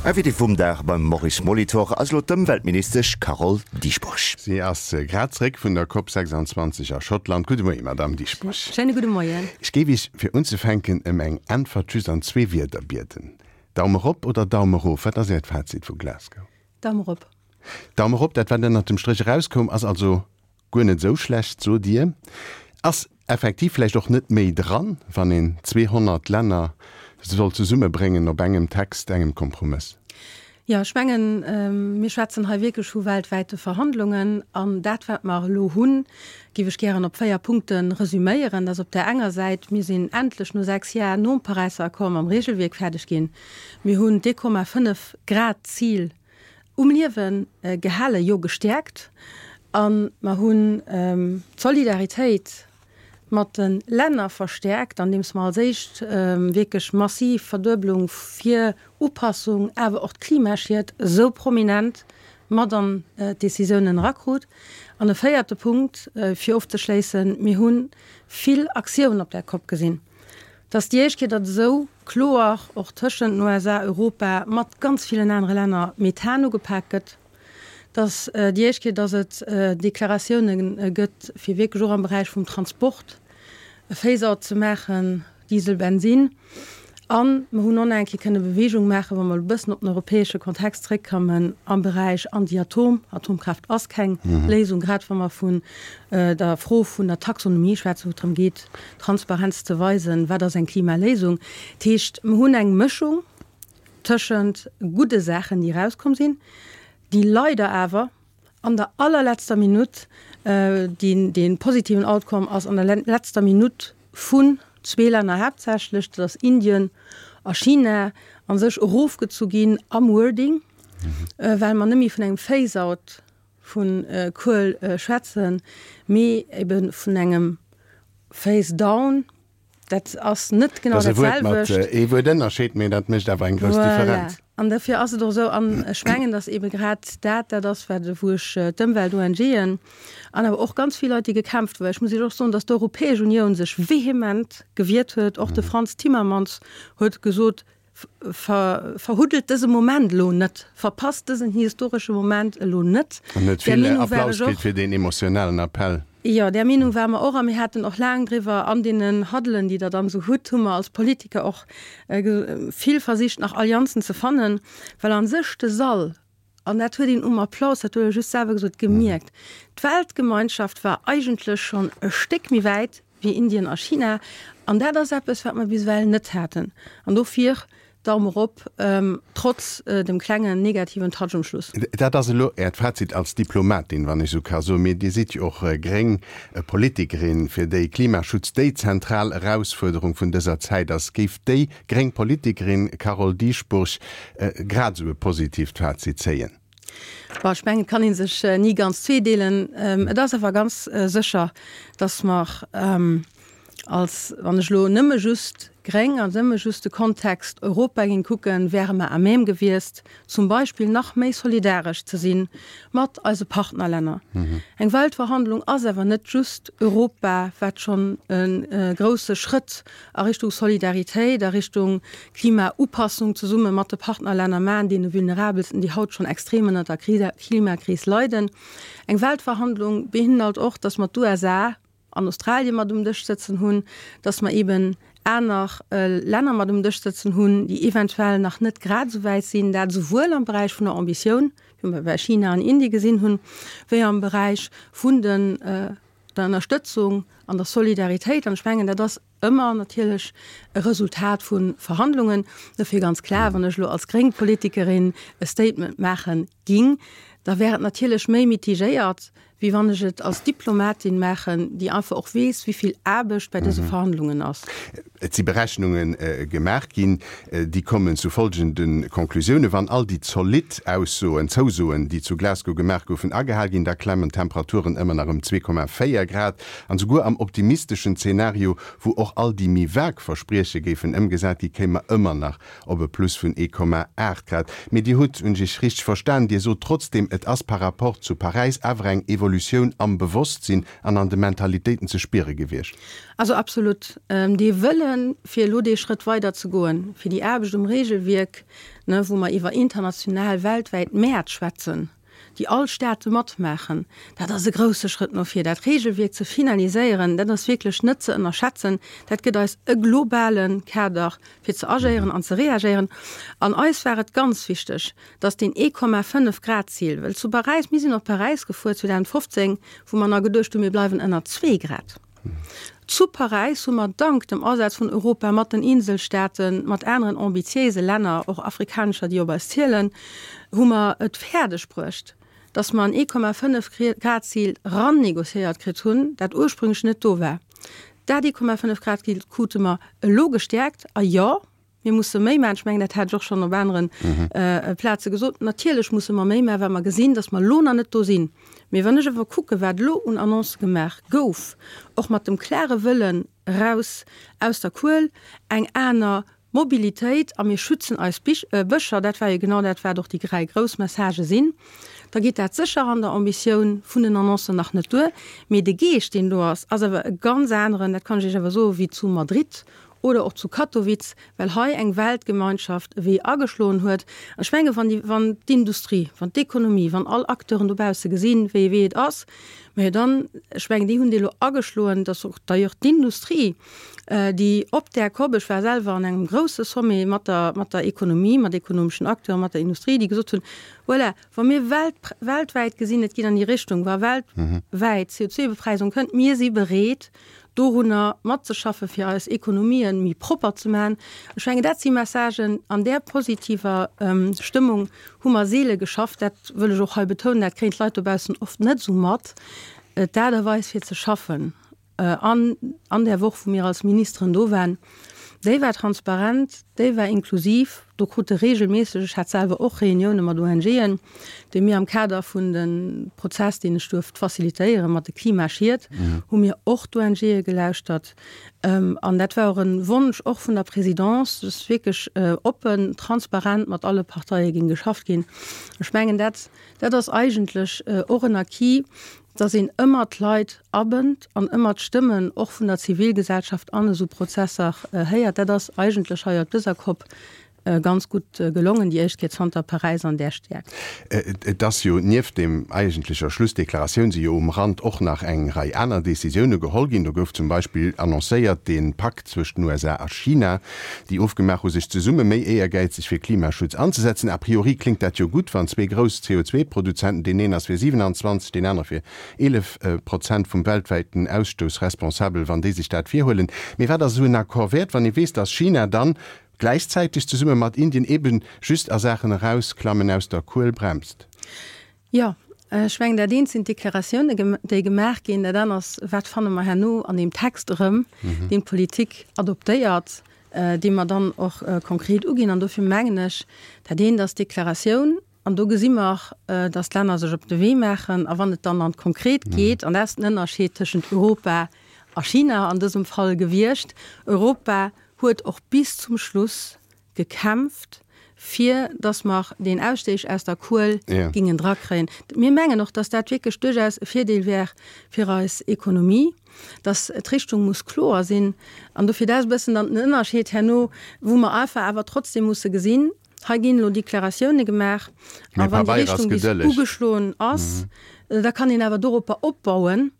Invité vum Dag beim Maurice Molitor ass elo d'Ëmweltministesch Carole Dieschbourg. Si ass grad zeréck vun der Cop 26 a Schottland. Gudde Moien, Madamm Dieschbourg. Schéine gudde Moien. Ech géif Iech fir unzefänken ëm eng Äntwert just an zwee Wierder bieden, Daum erop oder Daum erof? Wat ass Äert Fazit vu Glasgow? Daum erop. Daum erop, dat wat ënnert dem Stréch erauskoum, ass also guer net esou schlecht, sot Dir. Ass effektiv vläicht och net méi dran, wann een 200 Länner soll zesummebréngen op engem Text, engem Kompromëss. Jo, ech mengen, mir schwätzen hei wierklech vu weltwäite Verhandlungen. An dat, wat mer elo hunn, géif ech gären op véier Punkte resüméieren. Dat ass op där enger Säit, mir sinn endlech no sechs Jar nom Paräisser Accord mam Regelwierk fäerdeg ginn. Mir hunn d'E-Komma-fënnef Grad-Zil um Liewe gehalen, jo gestäerkt, a mer hunn d'Solidaritéit mat de Länner verstäerkt, andeems mer als éischt wierklech massiv Verduebelung fir Upassung, awer och d'Klimaschied esou prominent mat an d'Décisiounen erakrut. An e véierte Punkt, fir ofzeschléissen, Mir hu vill Aktioun op där Cop gesinn. Et ass déi éischt Kéier, datt esou kloer och tëschent den USA, Europa mat ganz villen anere Länner Methan ugepak gëtt. Et ass déi éischt Kéier, datt et Deklaratioune gëtt, fir wierklech och am Beräich vum Transport e Phase-out ze maachen, Diesel, Bensin. A mer hunn och nach eng Kéier kënne Beweegung maachen, wa mer elo e bëssen op den europäesche Kontext zréckkommen, am Beräich Anti-Atom. Atomkraaft ass keng Léisung, grad wa mer vun der Fro vun der Taxonomie schwätzen, wou et drëm geet, Transparenz ze weisen, wat ass eng Klimaléisung. Dat heescht, mer hunn eng Mëschung tëschent gudde Saachen, déi erauskomm sinn, déi leider awer an der allerletzter Minutt, deen dee positiven Outcome ass an der letzter Minutt vun zwee Länner haaptsächlech, dat ass Indien a China, a sech erofgezu ginn am Wording, well mer net méi vun engem Phase-out vu Kuel schwätzen, mee ebe vun engem Phase down. Dat ass net genau dat selwecht. Dat ass e Wuert mat ee Wuert Ënnerscheed, mee dat mécht awer eng grouss Differenz. Voilà. An dofir ass et och esou, an ech mengen, datt ebe grad dat dat ass, wat, wou ech d'Ëmwelt-ONGen an awer och ganz vill Leit, déi gekämpft hunn, well ech muss Iech och soen, datt d'Europäesch Unioun sech vehement gewiert huet, och de Frans Timmermans huet gesot, Verhuddelt dëse Moment elo net, verpasst dësen historesche Moment elo net. An huet vill Applaus kritt fir deen emotionalen Appell. Jo, där Meenung ware mer och a mir haten och laang driwwer an deenen Huddelen, déi Der dann esou hutt, hu mer als Politiker och vill versicht nach Allianzen ze fannen, well a sech de Sall, an dat huet een um Applaus, dat hutt Der just selwer gesot, gemierkt, d'Weltgemeinschaft war eigentlech schonn e Stéck méi wäit wéi Indien a China. An dat ass eppes, wat mer bis ewell net haten. An dofir Daum erop, trotz dem klengen negativen Touch um Schluss. Dat ass elo Äert Fazit als Diplomatin, wann ech esou ka soen. Mee Dir sidd jo och gréng Politikerin, fir déi Klimaschutz déi zentral Erausfuerderung vun dëser Zäit ass. Géif déi gréng Politikerin Carole Dieschbourg grad esou e positiivt Fazit zéien? Bon, ech mengen, et kann ee sech ni ganz zweedeelen. Et ass awer ganz sécher, datt mer als, wann ech elo nëmme just gréng an nëmme just de Kontext Europa géing kucken, wäre mer à même gewiesst, zum Beispill nach méi solidaresch ze si mat eise Partnerlänner. Eng Weltverhandlung ass awer net just Europa, wat schonn e grousse Schrëtt a Richtung Solidaritéit, a Richtung Klimaupassung zesumme mat de Partnerlänner maachen, deene vulnerabelsten, déi haut schonn extrem ënnert der Klimakris leiden. Eng Weltverhandlung beinhalt och, dass mer d'USA an Australien mat um Dësch sëtzen hunn, dass mer eeben aner Länner mat um Dësch sëtzen hunn, déi eventuell nach net grad esou wäit sinn, dat esouwuel am Beräich vun der Ambitioun, wéi mer bei China an Indie gesinn hunn, wéi am Beräich vun den, der Ënnerstëtzung an der Solidaritéit. An ech mengen, dat ass ëmmer natierlech e Resultat vu Verhandlungen. Dofir ganz klar, wann ech elo als gréng Politikerin e Statement maache ging, da wär et natierlech méi mitigéiert, wéi wann ech et als Diplomatin maachen, déi einfach och weess, wéi vill Aarbecht bei dëse Verhandlungen ass. Et si Berechnunge gemaach ginn, déi kommen zu folgende Conclusiounen, Wann all déi zolidd Aussoen, Zousoen, déi zu Glasgow gemaach goufen, agehal ginn, da klammen d'Temperaturen ëmmer nach ëm 2,4 Grad. An souguer am optimisteschen Zeenario, wou och all déi méi vag Versprieche géifen ëmgesat ginn, kéime mer ëmmer nach op e Plus vun 1,8 Grad. Mee Dir hutt, hunn ech Iech richteg verstan, Dir sot trotzdeem, et ass par rapport zu Paräis awer eng Evolutioun. Evolutioun am Bewosstsinn an an de Mentalitéiten ze spiere gewiescht? Also absolut. Dee Wëllen, fir elo dee Schrëtt weider ze goen, fir déi Aarbecht um Regelwierk, ne, wou mer iwwer international, weltwäit Mäert schwätzen, déi all Staate matmaachen, dat ass e grouse Schrëtt no vir. Dat Regelwierk ze finaliséieren, dat ass wierklech net ze ënnerschätzen. Dat gëtt eis e globale Kader, fir ze agéieren an ze reagéieren. An eis war et ganz wichteg, dass deen 1,5 Grad Zil, well zu Paräis, mir sinn op Paräis gefuer 2015, wou mer nach geduecht hunn, mir bleiwen ënner zwee Grad. Zu Paräis hu mer dank dem Asaz vun Europa mat den Inselstaaten, mat aneren ambitiéise Länner, och afrikanescher, déi op eis zielen, hu mer et fäerdeg bruecht, dass mer en 1,5 Grad Zil rannegociéiert kritt hunn, dat ursprünglech net do war. Dat 1,5 Grad Zil krute mer elo gestäerkt. A jo, Mir musse méi maachen. Ech mengen, dat hat ech och schonn op anere Plaze gesot. Natierlech musse mer méi maachen, well mer gesinn, datt mer elo nach net do sinn. Mee wann ech awer kucken, wat elo un Annoncë gemaach gouf, och mat dem klare Wëllen eraus aus der Kuel, eng aner Mobilitéit a mir schützen eis Bëscher, dat war jo genau dat, wat och déi dräi grouss Messagë sinn, da geet dat sécher an der Ambitioun vun den Annoncen nach net duer. Mee de Geescht, deen do ass, ass awer e ganz aneren, dat kann ech Iech awer soen, wéi zu Madrid oder och zu Katowice, well hei eng Weltgemeinschaft e Wee ageschloen huet. An ech menge wann déi, wann d'Industrie, wann d'Ekonomie, wann all Acteuren dobausse gesinn, wéi e Wee et ass, majo dann, ech mengen déi hunn dee lo ageschloen, dass och d'ailleurs d'Industrie, déi op där COP, ech war selwer an engem grouse Sommet mat der, mat der Ekonomie, mat ekonomeschen Acteuren, mat der Industrie, déi gesot hunn, voilà, wa mir welt, weltwäit gesinn, et geet an déi Richtung, wa weltwäit CO2-Bepreisung kënnt, mir si bereet, dorunner matzeschaffen, fir eis Ekonomien méi propper ze maachen. Ech mengen, dat si Messagen, an där positiver Stëmmung hu mer seele geschafft. Dat wëll ech och hei betounen, dat kréien d'Leit dobaussen oft net esou mat, d'Aart a Weis fir ze schaffen an an där Woch, wou mir als Ministeren do waren, déi war transparent, déi war inklusiv. Do krute reegelméisseg, ech hat selwer och Reunioune mat ONGen, déi mir am Kader vun de Prozess, deen ech duerft facilitéieren, mat de Klimaschied, hu mir och d'ONGe gelauschtert. An dat war och e Wonsch och vun der Présidence, dass wierklech oppen, transparent mat alle Parteie géing geschafft ginn. Ech mengen, dat, dat ass eigentlech och en Acquis, dass een ëmmer d'Leit abënnt an ëmmer d'Stëmmen och vun der Zivilgesellschaft an esou Prozesser héiert. Dat ass eigentlech hei op dëser Cop ganz gutt gelongen, déi éischt Kéier zanter Paräis an där Stäerkt. Et ass jo nieft deem eigentlecher Schlussdeklaratioun si jo um Rand och nach eng Rei aner Decisioune geholl ginn. Do gouf zum Beispill annoncéiert, dee Pakt zwëscht den USA a China, déi ofgemaach hu sech zesumme méi éiergäizeg fir Klimaschutz anzesetzen. A priori kléngt dat jo gutt, wann zwee grouss CO2-Produzenten, deen een ass fir 27, deen anere fir 11 Prozent vum weltwäiten Ausstouss responsabel, wann déi sech dat virhuelen. Mee wat ass esou en Accord wäert, wann ee weess, datt China dann gläichzäiteg zesumme mat Indien eben just a Saachen Erausklammen aus der Kuel bremst? Jo, ech mengen, dat eent sinn d'Deklaratiounen, déi gemaach ginn. Dat anert ass, wat fanne mer herno an deem Text erëm, deen d'Politik adoptéiert, dee mer dann och konkret uginn. An dofir mengen ech, dat eent ass d'Deklaratioun, an do gesi mer, datt d'Länner sech op de Wee maachen. A wann et dann an d'Konkret geet, an dat ass den Ënnerscheed tëschent Europa a China an dësem Fall gewiescht, Europa huet och bis zum Schluss gekämpft, fir datt mer deen Ausstéich aus der Kuel gingen drakréien. Mir mengen och, datt dat wierklech duerchaus e Virdeel wär fir eis Ekonomie, datt d'Richtung muss kloer sinn. An dofir, dat ass e bëssen dann den Ënnerscheed herno, wou mer einfach awer trotzdem musse gesinn, hei ginn elo Deklaratioune gemaach, a wann déi Richtung bis ugeschloen ass, da kann een awer doropper opbauen.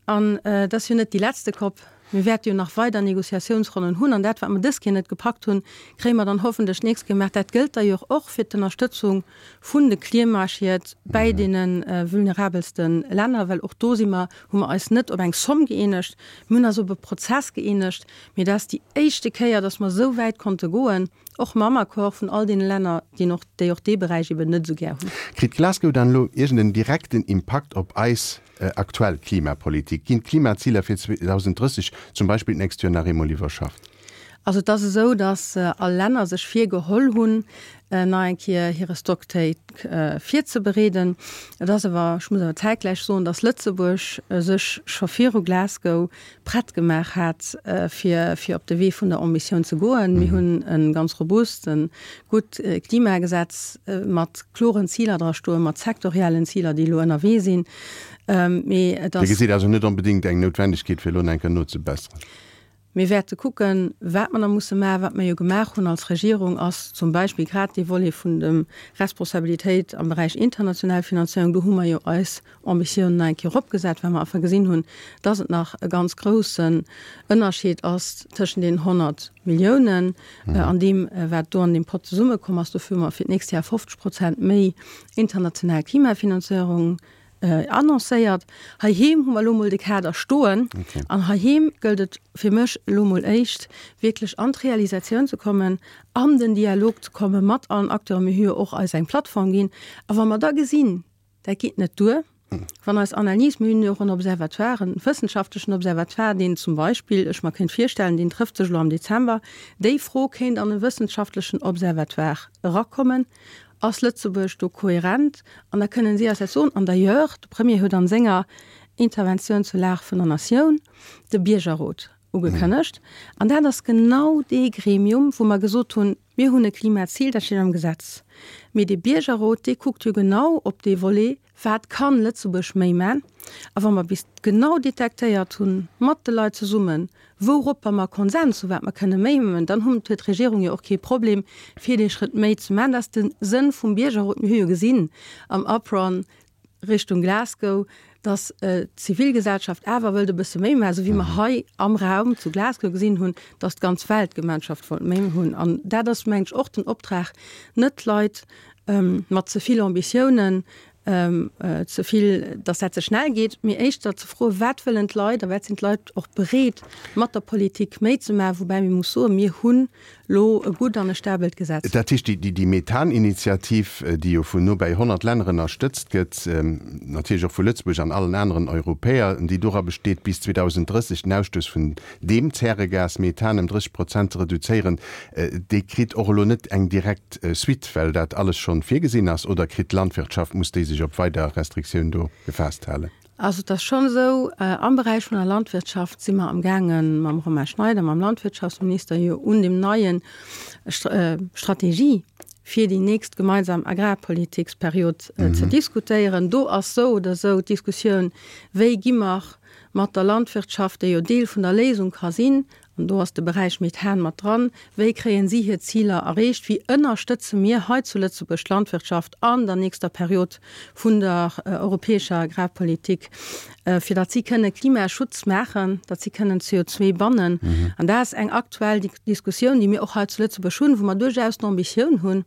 An et ass jo net déi letzte Cop. Mir wäerte jo nach weider Négociatiounsronnen hunn. An dat, wat mer dës Kéier net gepackt hunn, kréie mer dann hoffentlech d'nächst Kéier gemaach. Dat gëllt da jo och fir d'Ënnerstëtzung vun de Klimaschied bäi deene vulnerabelste Länner, well och do si mer, hu mer eis net op eng Somm gëeenegt, mir hunn eis op e Prozess gëeenegt. Mee dat ass déi éischte Kéier, dass mer esou wäit konnte goen, och mam Accord vun all deene Länner, déi och, déi och dee Beräich eben net esou gär hunn. Kritt Glasgow dann elo iergend en direkten Impakt op eis Aktuell Klimapolitik, Ginn d'Klimaziler fir 2030 zum Beispill d'nächst Joer nach eemol iwwerschafft? Also et ass esou, datt all Länner sech virgeholl hunn, nach eng Kéier hire Stocktake virzebereeden. Et ass awer, ech muss awer zäitgläich soen, datt Lëtzebuerg sech scho viru Glasgow prett gemaach hat, fir fir op de Wee vun der Ambitioun ze goen. Mir hunn e ganz robust, e gutt Klimagesetz mat kloren Ziler dra stoen, mat sektoriellen Ziler, déi elo ënnerwee sinn. Mee et Dir ass. gesitt also net onbedéngt eng Noutwendegkeet, fir elo nach eng Kéier nozebesseren? Mir wäerte kucken, wat mer nach musse maachen. Wat mer jo gemaach hunn als Regierung, ass zum Beispill grad dee Volet vun dem Responsabilitéit am Beräich international Finanzéierung. Do hu mer jo eis Ambitiounen nach eng Kéier eropgesat, well mer einfach gesinn hunn, dass et nach e ganz groussen Ënnerscheed ass tëschent deenen 100 Milliounen an deem, wat do an deem Pott zesummekomm ass. Dofir hu mer fir d'nächst Jar 50 Prozent méi international Klimafinanzéierung annoncéiert. Heiheem hu mer elo mol de Kader stoen. An heiheem gëllt et fir mech elo mol éischt, wierklech an d'Realisatioun ze kommen, an den Dialog ze komme mat allen Acteuren. Mir hu jo och eis eng Plattform ginn. A wa mer da gesinn, dat geet net duer, wann eis Analys, mir hunn jo och en Observatoire, e wëssenschaftlechen Observatoire, deen zum Beispill, ech mer kéint virstellen, deen trëfft sech elo am Dezember, déi Fro kéint an e wëssenschaftlechen Observatoire erakommen, Ass Lëtzebuerg do kohärent? An da kënnen si eis dat soen. An d'ailleurs, de Premier huet an senger Interventioun zur Lag vun der Natioun de Biergerrot ugekënnegt. An dat ass genau dee Gremium, wou mer gesot hunn, Mir hunn e Klimazil, dat steet am Gesetz. Mee dee Biergerrot, dee kuckt jo genau op dee Volet, Wat kann Lëtzebuerg méi man? A wa mer bis genau detektéiert hunn, mat de Leit zesummen, wouropper mer Konsens hunn, wat mer kënne méi man, dann hunn, huet d'Regierung jo och kee Problem, fir dee Schrëtt méi ze man. Dat ass de Sënn vum Biergerrot. Mir hu jo gesinn am Apron Richtung Glasgow, dass d'Zivilgesellschaft awer wëllt e bësse méi man, esou wéi mer hei am Raum zu Glasgow gesinn hunn, dass d'ganz Weltgemeinschaft wollt méi hunn. An dat ass, mengen ech, och den Optrag, net d'Leit mat ze vill Ambitiounen, ze vill, dass dat ze schnell geet, mee éischter ze froen, wat wëllen d'Leit a wat sinn d'Leit och bereet mat der Politik méi ze maachen, woubäi mir muss soen, mir hunn lo e gutt an e stabelt Gesetz. Dat heescht, déi Methan-Initiativ, déi jo vun no bäi 100 Länner ënnerstëtzt gëtt, natierlech och vu Lëtzebuerg an allen aneren Europäer, déi dora besteet, bis 2030 den Ausstouss vun deem Zäregas Methan ëm 30 Prozent ze reduzéieren, déi kritt och elo net eng direkt Suite, well dat alles schonn virgesinn ass, oder kritt d'Landwirtschaft, muss déi sech op weider Restriktioun do gefaasst halen? Also et ass schonn esou, am Beräich vun der Landwirtschaft si mer amgaangen, mam Romain Schneider, mam Landwirtschaftsminister jo un deem neien Strategie fir déi nächst gemeinsam Agrarpolitiksperiod ze diskutéieren. Do ass sou oder sou d'Diskussioun, wéi gi mer mat der Landwirtschaft, déi jo Deel vun der Léisung ka sinn, an do ass de Beräich Methan mat dran, wéi kréien si hir Ziler erreecht, wéi ënnerstëtze mir hei zu Lëtzebuerg d'Landwirtschaft an der nächster Period vun der europäescher Agrarpolitik, fir datt si kënne Klimaschutz maachen, datt si kënnen CO2 bannen. An dat ass eng aktuell Diskussioun, déi mir och hei zu Lëtzebuerg hunn, wou mer duerchaus d'Ambitioun hunn,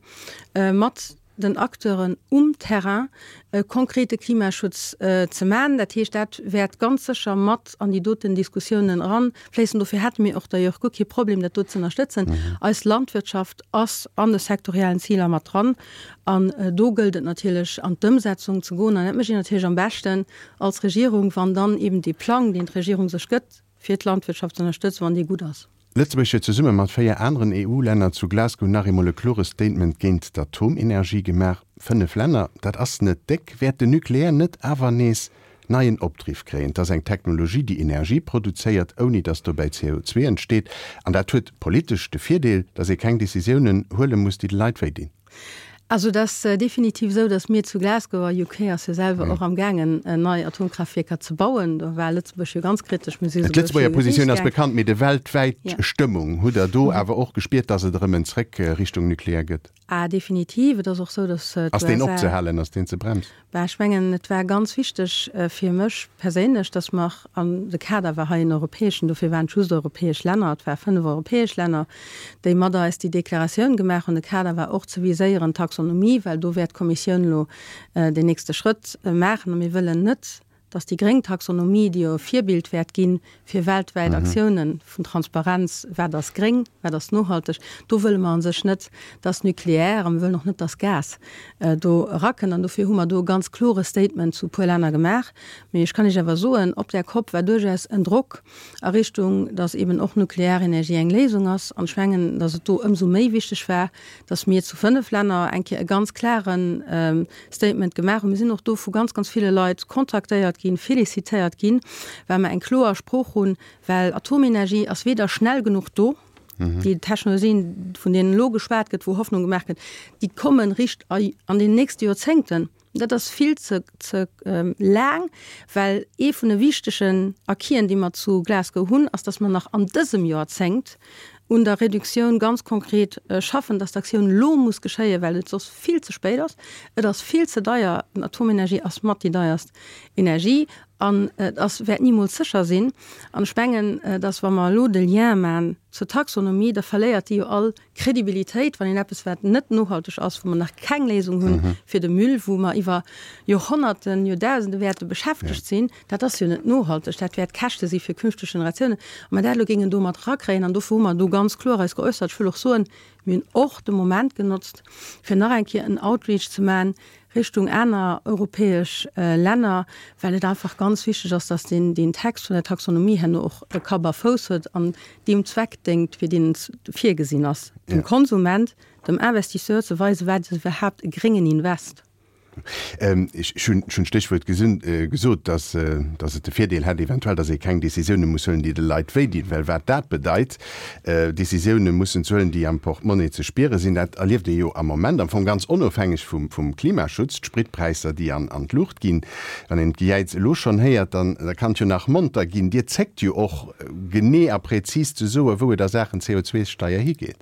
mat den Acteuren um Terrain e konkrete Klimaschutz ze maachen. Dat heescht, dat wäert ganz sécher mat an déi doten Diskussiounen eranfléissen. Dofir hätte mir och d'ailleurs guer kee Problem, dat do ze ënnerstëtzen. Eis Landwirtschaft ass an de sektoriellen Ziler mat dran. An do gëllt et natierlech, an d'Ëmsetzung ze goen. An dat mécht een natierlech am beschten als Regierung, wann dann eben dee Plang, deen d'Regierung sech gëtt, fir d'Landwirtschaft ze ënnerstëtzen, wann dee gutt ass. Lëtzebuerg huet zesumme mat 4 aneren EU-Länner zu Glasgow nach eemol e klore Statement géint d'Atomenergie gemaach. 5 Länner, dat ass net déck. Wäert den Nucléaire net awer nees neien Opdriff kréien? Et ass eng Technologie, déi Energie produzéiert, ouni datt dobäi CO2 entsteet. An dat huet politesch de Virdeel, datt ee keng Decisiounen huele muss, déi de Leit wéi dinn. Also et ass definitiv esou, datt mir zu Glasgow, a UK ass jo selwer och am gaangen nei Atomkraaftwierker ze bauen, do war Lëtzebuerg jo ganz kritesch, mir si souguer D'Lëtzebuerger Positioun ass bekannt, mee de weltwäit Stëmmung, hutt Der do awer och gespiert, datt et erëm en Zréck Richtung Nucléaire gëtt? Ah, definitiv. Et ass och esou, datt d'USA. Ass deen opzehalen, ass deen ze bremsen? Bah, ech mengen, et war ganz wichteg fir mech perséinlech, dass mer, an de Kader war hei en europäeschen, dofir waren et just europäesch Länner, et war fënnf europäesch Länner, déi mat eis déi Deklaratioun gemaach hunn. De Kader war och ze viséieren d'Taxonomie, well do wäert d'Kommissioun elo den nächste Schrëtt maachen. A mir wëllen net, dass déi gréng Taxonomie, déi jo e Virbild wäert gi fir weltwäit Aktiounen vun Transparenz, wat ass gréng, wat ass nohalteg, do wëlle mer a sech net, dass Nucléaire, a mir wëllen och net, dass Gas do erakënnt. An dofir hu mer do e ganz klore Statement zu e puer Länner gemaach. Mee ech kann Iech awer soen, op där Cop war duerchaus en Drock a Richtung, dass eben och Nuklearenergie eng Léisung ass. An ech mengen, dass et do ëmsou méi wichteg war, dass mir zu fënnf Länner eng Kéier e ganz klare Statement gemaach hunn. Mir sinn och do vu ganz, ganz ville Leit kontaktéiert ginn, félicitéiert ginn, well mer eng kloer Sprooch hunn, well Atomenergie ass weder schnell genuch do, déi Technologien, vun deenen elo geschwat gëtt, wou Hoffnung gemaach gëtt, déi kommen richt an den nächste Joerzéngten. Dat ass vill ze ze laang, well ee vun de wichtegen Acquisen, déi mer zu Glasgow hunn, ass, dass mer nach an dësem Joerzéngt un der Reduktioun ganz konkret schaffen, dass d'Aktioun elo muss geschéien, well et soss vill ze spéit ass. Et ass vill ze deier. Atomenergie ass mat déi deierst Energie an et ass, wäert nimools sécher sinn. An ech mengen, dass wa mer elo de Lien maachen zur Taxonomie, da verléiert déi jo all Kredibilitéit, wann een eppes, wat net nohalteg ass, wou mer nach keng Léisung hunn fir de Müll, wou mer iwwer Joerhonnerten, Joerdausende wäerte beschäftegt sinn, dat ass jo net nohalteg, dat wäert Käschte si fir künfteg Generatiounen. A mer dat elo géingen do mat erakréien, an dofir hu mer do ganz kloer eis geäussert, ech wëll och soen, mir hunn och de Moment genotzt, fir nach eng Kéier en Outreach ze maachen Richtung aner europäesch Länner, well et einfach ganz wichteg ass, dass deen, deen Text vun der Taxonomie herno och e Kapp a Fouss huet an deem Zweck déngt, fir deen et virgesinn ass, dem Konsument, dem Investisseur ze weisen, wat ass iwwerhaapt e gréngen Invest. Ech hunn d'Stéchwuert gesot, dass et de Virdeel hätt eventuell, dass ee keng Décisioune muss huelen, déi de Leit wéidinn, well wat dat bedeit, Décisioune mussen ze huelen, déi am Portemonnaie ze spiere sinn. Dat erlieft ee jo am Moment am Fong ganz onofhängeg vum Klimaschutz, d'Spritpräisser, déi an d'Luucht ginn. Wann een d'Gejäiz elo schonn héiert, dann da kann et jo nach monter ginn. Dir zéckt jo och, genee a präzis ze soen, wou et a Saachen CO2-Steier higeet.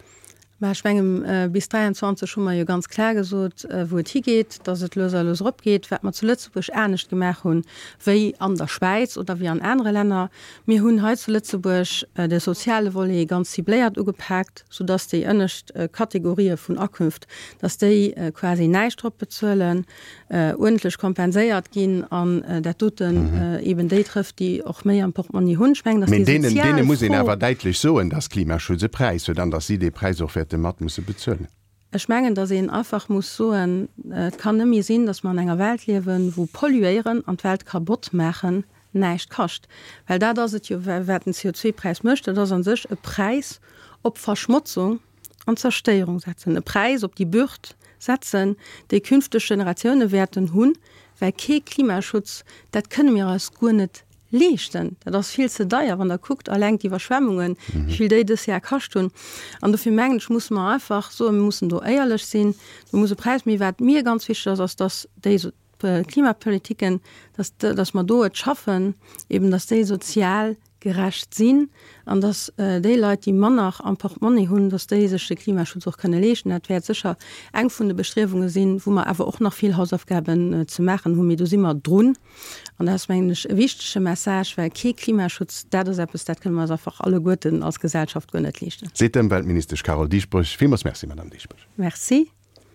Mä ech mengen, bis 23 hu mer jo ganz klar gesot, wou et higeet, dass et lues a lues eropgeet. Wat mer zu Lëtzebuerg anescht gemaach hunn, wéi an der Schwäiz oder wéi an anere Länner, Mir hunn hei zu Lëtzebuerg de soziale Volet ganz cibléiert ugepaakt, soudass déi ënnescht Kategorië vun Akünft, dass déi quasi näischt drop bezuelen. uerdentlech kompenséiert ginn an dat doten eben déi trëfft, déi och méi am Portmonni hunn. Ech mengen, datt déi sozial Fro. Mee deene muss een awer däitlech soen, datt Klimaschutz e Präis huet an datt si dee Präis och wäerte mat musse bezuelen. Ech mengen, datt een einfach muss soen, et kann net méi sinn, datt mer an enger Welt liewen, wou Polluéieren an d'Welt kabott maachen näischt kascht. Well dat ass et jo, wat den CO2-Präis mécht, dat ass a sech e Präis op Verschmotzung. an Zerstéierung setzen, e Präis op déi Bürd setzen, déi künfteg Generatioune wäerten hunn, well kee Klimaschutz, dat kënne mir eis guer net leeschten, dat ass vill ze deier, wann Der kuckt, alleng d'Iwwerschwemmungen, wéi vill déi dës Jar kascht hunn. An dofir mengen ech, musse mer einfach soen, mir mussen do éierlech sinn, do muss e Präis, mee wat mir ganz wichteg ass, ass, dass déi Klimapolitiken, dass, dass mer do et schaffen, eben dass déi sozial gerecht sinn an dass déi Leit, déi manner am Portemonnaie hunn, dass déi sech de Klimaschutz och kënne leeschten. Dat wäert sécher eng vun de Bestriewunge sinn, wou mer awer och nach vill Hausaufgaben ze maachen hunn. Mee do si mer drun. An dat ass, mengen ech, e wichtege Message, well kee Klimaschutz, dat ass eppes, dat kënne mer eis einfach alleguerten als Gesellschaft guer net leeschten. Seet d'Ëmweltministesch Carole Dieschbourg. Villmools Merci, Madame Dieschbourg. Merci.